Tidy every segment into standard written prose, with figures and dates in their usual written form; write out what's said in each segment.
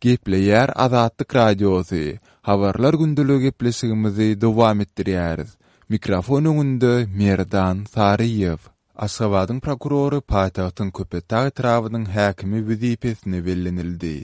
Gepleýär Azatlyk Radiosy, Habarlar gündeligi gepleşigimizi dowam etdirýäris. Mikrofon öňünde Merdan Saryýew. Aşgabadyň prokurory paýtagtyň Köpetdag etrabynyň häkimi wezipesine bellenildi.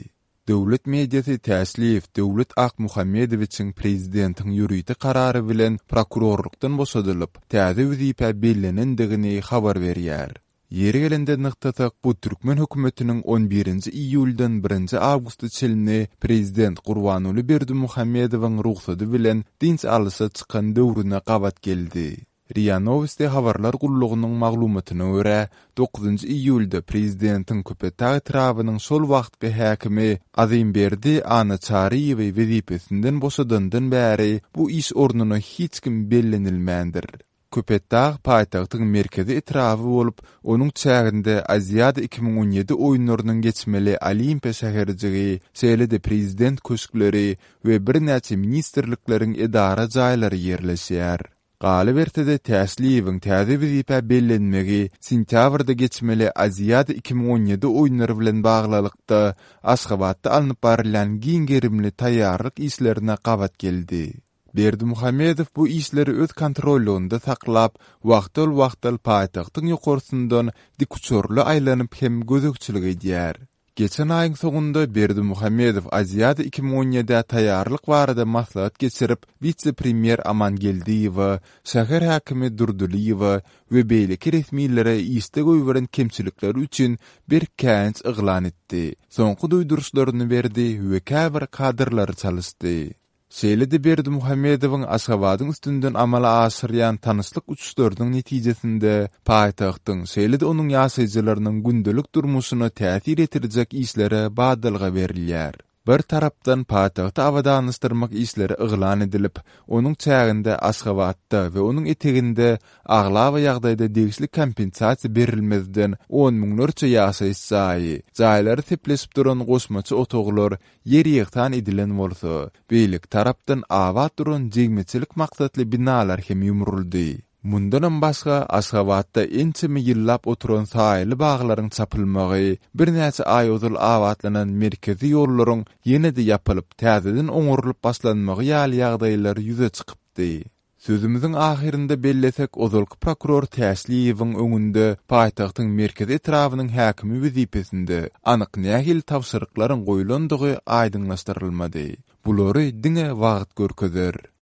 Döwlet mediasy Täşliýew Döwlet Akmuhammedowiçiň prezidentiň ýörite karary bilen prokurorlykdan boşadylyp, täze wezipä bellenendigini habar berýär. Ýeri gelende nygtasak, bu türkmen hökümetiniň on birinji iýuldan birinji awgusta çenli prezident Gurbanguly Berdimuhamedowyň rugsady bilen dynç alyşa çykan döwrüne gabat geldi. Ria Nowosti habarlar gullugynyň maglumatyna görä, dokuzynjy iýulda prezidentiň Köpetdag etrabynyň şol wagtky häkimi Azymberdi Annaçaryýewi wezipesinden boşadandan bäri bu iş ornuna hiç kim bellenilmändir. Köpetdag paýtagtyň merkezi etraby bolup, onuň çäginde Aziada 2017 oýunlarynyň geçmeli Olimpiýa şäherjigi, şeýle-de Prezident köşkleri we birnäçe ministrlikleriň edara jaýlary ýerleşýär. Galyberse-de, Täşliýewiň täze wezipä bellenmegi sentýabrda geçmeli Aziada 2017 oýunlary bilen baglylykda, Aşgabatda alnyp barylýan giň gerimli taýýarlyk işlerine gabat geldi. Berdimuhamedow bu işleri öz kontrollygynda saklap, wagtal-wagtal paýtagtyň ýokarsyndan dikuçarly aýlanyp hem gözegçilik edýär. Geçen aýyň soňunda Berdimuhamedow Aziada 2017-ä taýýarlyk barada maslahat geçirip, wise-premýer Aman Geldiýewe, şäher häkimi Durdylyýewe we beýleki resmilere işde goýberen kemçilikleri üçin berk käýinç yglan etdi, soňky duýduryşlaryny berdi we käbir kadrlary çalyşdy. Şeýle-de Berdimuhamedowyň Aşgabadyň üstünden amala aşyrýan tanyşlyk uçuşlarynyň netijesinde paýtagtyň, şeýle-de onuň ýaşaýjylarynyň gündelik durmuşyna täsir ýetirjek işlere badalga berilýär. Bir tarapdan, paýtagty abadanlaşdyrmak işleri yglan edilip, onuň çäginde Aşgabatda we onuň eteginde aglaba ýagdaýda degişli kompensasiýa berilmezden on müňlerçe ýaşaýyş jaýy, jaýlary sepleşip duran goşmaça otaglar Ýer ýegsan edilen bolsa, beýleki tarapdan abat duran jegmeçilik maksatly binalar hem ýumruldy. Mundanam başga, Aşgabatda ençeme ýyllap oturan saýaly baglaryň çapylmagy, birnäçe aý ozal abatlanan merkezi ýollaryň ýene-de ýapylyp, täzeden oňarylyp başlanmagy ýaly ýagdaýlar ýüze çykypdy. Sözümiziň ahyrynda bellesek, ozalky prokuror Täşliýewiň öňünde paýtagtyň merkezi etrabynyň häkimi wezipesinde anyk nähili tabşyryklaryň goýlandygy aýdyňlaşdyrylmady. Bulary diňe wagt görkezer.